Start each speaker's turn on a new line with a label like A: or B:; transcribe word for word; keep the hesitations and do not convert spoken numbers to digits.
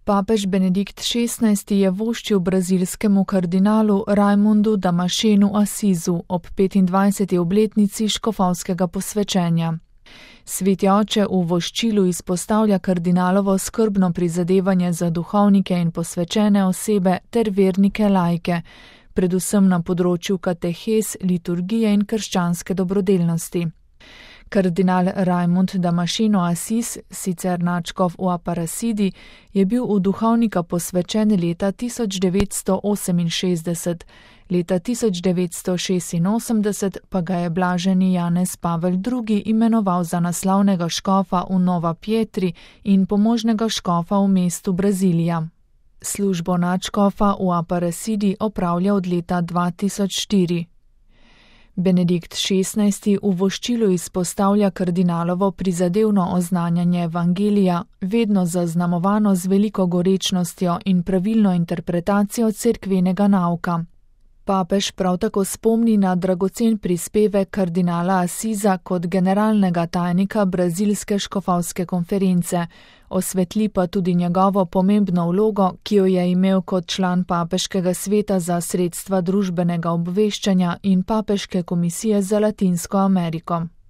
A: Papež Benedikt šestnajsti je voščil brazilskemu kardinalu Raimundu Damascenu Assisu ob petindvajseti obletnici škofovskega posvečenja. Sveti oče v voščilu izpostavlja kardinalovo skrbno prizadevanje za duhovnike in posvečene osebe ter vernike laike, predvsem na področju katehes, liturgije in krščanske dobrodelnosti. Kardinal Raimund Damasceno Assis, sicer nadškof v Aparecidi, je bil v duhovnika posvečen leta tisoč devetsto oseminšestdeset, leta tisoč devetsto šestinosemdeset pa ga je blaženi Janez Pavel drugi imenoval za naslavnega škofa v Nova Pietri in pomožnega škofa v mestu Brazilija. Službo nadškofa v Aparecidi opravlja od leta dva tisoč štiri. Benedikt šestnajsti v voščilu izpostavlja kardinalovo prizadevno oznanjanje evangelija, vedno zaznamovano z veliko gorečnostjo in pravilno interpretacijo cerkvenega nauka. Papež prav tako spomni na dragocen prispevek kardinala Assisa kot generalnega tajnika Brazilske škofovske konference, osvetli pa tudi njegovo pomembno vlogo, ki jo je imel kot član Papeškega sveta za sredstva družbenega obveščanja in Papeške komisije za Latinsko Ameriko.